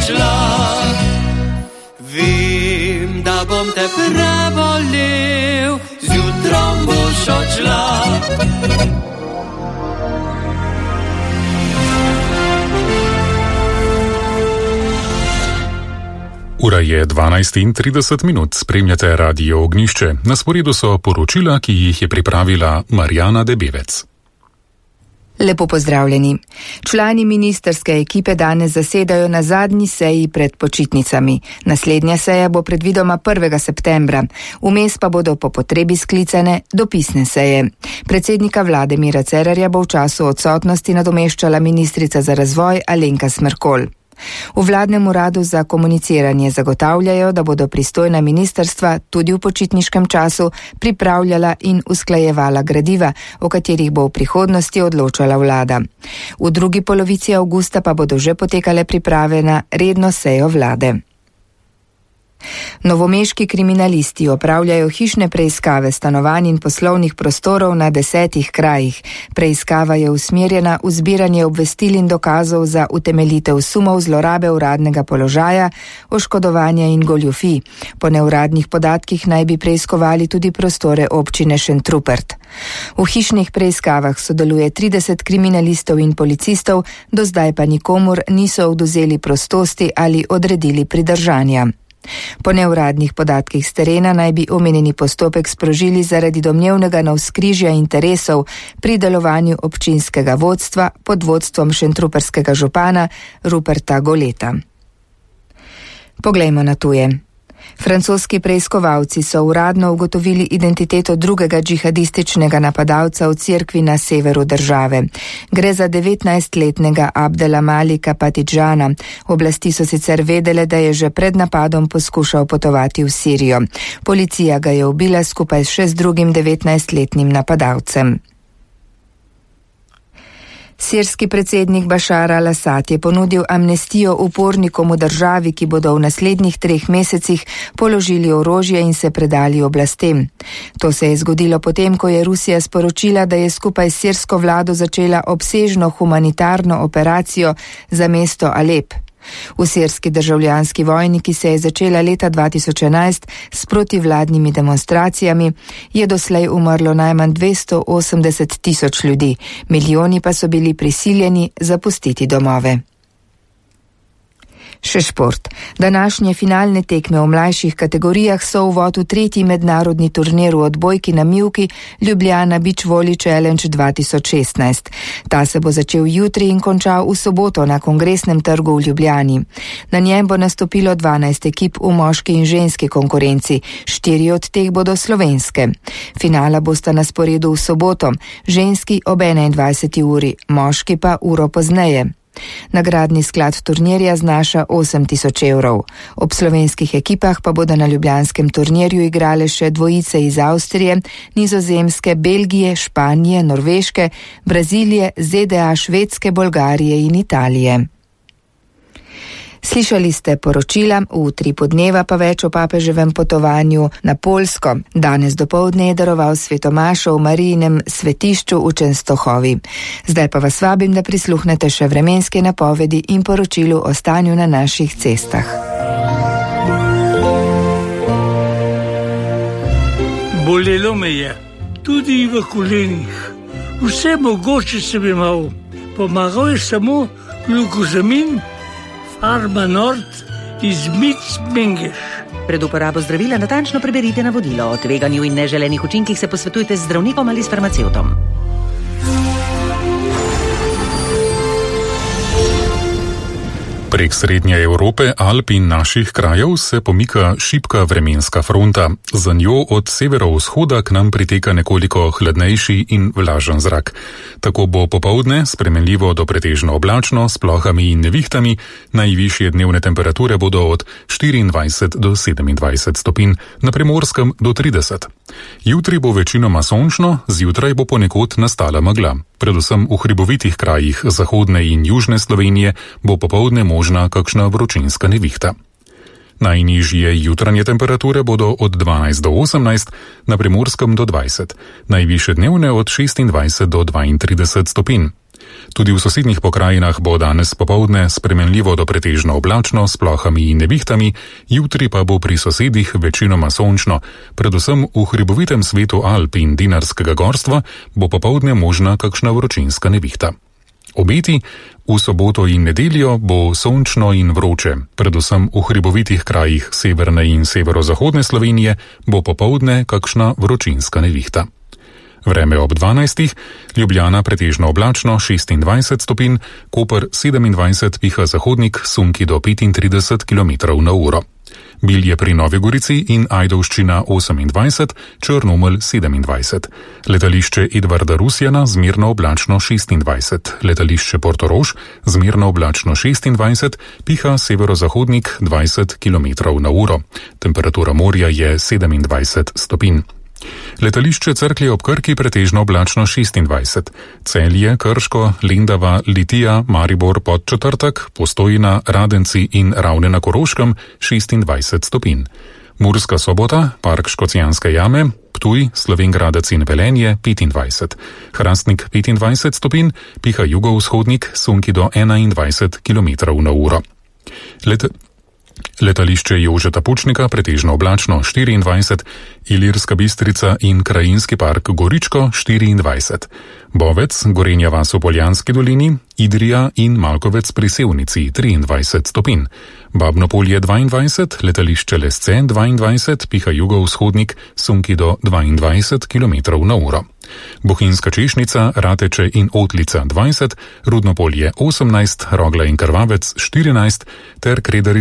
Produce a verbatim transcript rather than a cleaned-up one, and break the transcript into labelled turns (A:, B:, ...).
A: odšla. Vem, da bom te prebolel, zjutrom boš odšla.
B: Ura je dvanajst in trideset minut, spremljate Radio Ognjišče. Na sporedu so poročila, ki jih je pripravila Marjana Debevec.
C: Lepo pozdravljeni. Člani ministerske ekipe danes zasedajo na zadnji seji pred počitnicami. Naslednja seja bo predvidoma prvega septembra. Vmes pa bodo po potrebi sklicane dopisne seje. Predsednika vlade Mira Cerarja bo v času odsotnosti nadomeščala ministrica za razvoj Alenka Smrkolj. V vladnem uradu za komuniciranje zagotavljajo, da bodo pristojna ministrstva tudi v počitniškem času pripravljala in usklajevala gradiva, o katerih bo v prihodnosti odločala vlada. V drugi polovici avgusta pa bodo že potekale priprave na redno sejo vlade. Novomeški kriminalisti opravljajo hišne preiskave stanovanj in poslovnih prostorov na desetih krajih. Preiskava je usmerjena v zbiranje obvestil in dokazov za utemeljitev sumov zlorabe uradnega položaja, oškodovanja in goljufij. Po neuradnih podatkih naj bi preiskovali tudi prostore občine Šentrupert. V hišnih preiskavah sodeluje trideset kriminalistov in policistov, do zdaj pa nikomur niso odvzeli prostosti ali odredili pridržanja. Po neuradnih podatkih s terena naj bi omenjeni postopek sprožili zaradi domnevnega navzkrižja interesov pri delovanju občinskega vodstva pod vodstvom šentruperskega župana Ruperta Goleta. Poglejmo na tuje. Francoski preiskovalci so uradno ugotovili identiteto drugega džihadističnega napadalca v cerkvi na severu države. Gre za devetnajstletnega Abdela Malika Patidžana. Oblasti so sicer vedele, da je že pred napadom poskušal potovati v Sirijo. Policija ga je ubila skupaj še z drugim devetnajstletnim napadalcem. Sirski predsednik Bašar al-Asad je ponudil amnestijo upornikom v državi, ki bodo v naslednjih treh mesecih položili orožje in se predali oblastem. To se je zgodilo potem, ko je Rusija sporočila, da je skupaj s sirsko vlado začela obsežno humanitarno operacijo za mesto Alep. V sirski državljanski vojni, ki se je začela leta dva tisoč enajst s protivladnimi demonstracijami, je doslej umrlo najmanj dvesto osemdeset tisoč ljudi, milijoni pa so bili prisiljeni zapustiti domove. Še šport. Današnje finalne tekme v mlajših kategorijah so uvod v tretji mednarodni turnir v odbojki na mivki Ljubljana Beach Volley Challenge dva tisoč šestnajst. Ta se bo začel jutri in končal v soboto na Kongresnem trgu v Ljubljani. Na njem bo nastopilo dvanajst ekip v moški in ženski konkurenci, štiri od teh bodo slovenske. Finala bosta na sporedu v soboto, ženski ob enaindvajseti uri, moški pa uro pozneje. Nagradni sklad turnirja znaša osem tisoč evrov. Ob slovenskih ekipah pa bodo na ljubljanskem turnirju igrale še dvojice iz Avstrije, Nizozemske, Belgije, Španije, Norveške, Brazilije, ZDA, Švedske, Bolgarije in Italije. Slišali ste poročila, v utripu dneva pa več o papeževem potovanju na Poljsko. Danes dopoldne je daroval svetomašo v Marijinem svetišču v Čenstohovi. Zdaj pa vas vabim, da prisluhnete še vremenske napovedi in poročilu o stanju na naših cestah.
D: Bolelo me je, tudi v kolenih. Vse mogoče sem imel. Pomagal je samo glukozamin, Farma Nord iz Mic-Mengeš.
E: Pred uporabo zdravila natančno preberite navodilo. O tveganju in neželenih učinkih se posvetujte z zdravnikom ali s farmacevtom.
B: Prek srednje Evrope, Alp in naših krajev se pomika šibka vremenska fronta. Za njo od severovzhoda k nam priteka nekoliko hladnejši in vlažen zrak. Tako bo popoldne spremenljivo do pretežno oblačno s plohami in nevihtami, najvišje dnevne temperature bodo od štiriindvajset do sedemindvajset stopinj, na Primorskem do trideset. Jutri bo večinoma sončno, zjutraj bo ponekod nastala megla. Predvsem v hribovitih krajih zahodne in južne Slovenije bo popoldne možna kakšna vročinska nevihta. Najnižje jutranje temperature bodo od dvanajst do osemnajst, na Primorskem do dvajset, najvišje dnevne od šestindvajset do dvaintrideset stopinj. Tudi v sosednjih pokrajinah bo danes popoldne spremenljivo do pretežno oblačno s plohami in nevihtami, jutri pa bo pri sosedih večinoma sončno, predvsem v hribovitem svetu Alp in Dinarskega gorstva bo popoldne možna kakšna vročinska nevihta. Obeti: v soboto in nedeljo bo sončno in vroče, predvsem v hribovitih krajih severne in severozahodne Slovenije bo popoldne kakšna vročinska nevihta. Vreme ob dvanajstih, Ljubljana pretežno oblačno šestindvajset stopinj, Koper sedemindvajset, piha zahodnik, sunki do petintrideset kilometrov na uro. Bilje pri Novi Gorici in Ajdovščina osemindvajset, Črnomelj sedemindvajset. Letališče Edvarda Rusjana zmerno oblačno šestindvajset, letališče Portorož zmerno oblačno šestindvajset, piha severozahodnik dvajset kilometrov na uro. Temperatura morja je sedemindvajset stopinj. Letališče Cerklje ob Krki pretežno oblačno šestindvajset, Celje, Krško, Lendava, Litija, Maribor, Podčetrtek, Postojna, Radenci in Ravne na Koroškem šestindvajset stopinj. Murska Sobota, Park Škocjanske jame, Ptuj, Slovenj Gradec in Velenje petindvajset, Hrastnik petindvajset stopinj, piha jugovzhodnik, sunki do enaindvajset kilometrov na uro. Let Letališče Jožeta Pučnika pretežno oblačno štiriindvajset, Ilirska Bistrica in Krajinski park Goričko štiriindvajset, Bovec, Gorenja vas v Poljanski dolini, Idrija in Malkovec pri Sevnici triindvajset stopinj, Babno Polje dvaindvajset, letališče Lesce dvaindvajset, piha jugovzhodnik, sunki do dvaindvajset kilometrov na uro. Bohinjska Češnica, Rateče in Otlica dvajset, Rudno Polje osemnajst, Rogla in Krvavec štirinajst ter Kredarica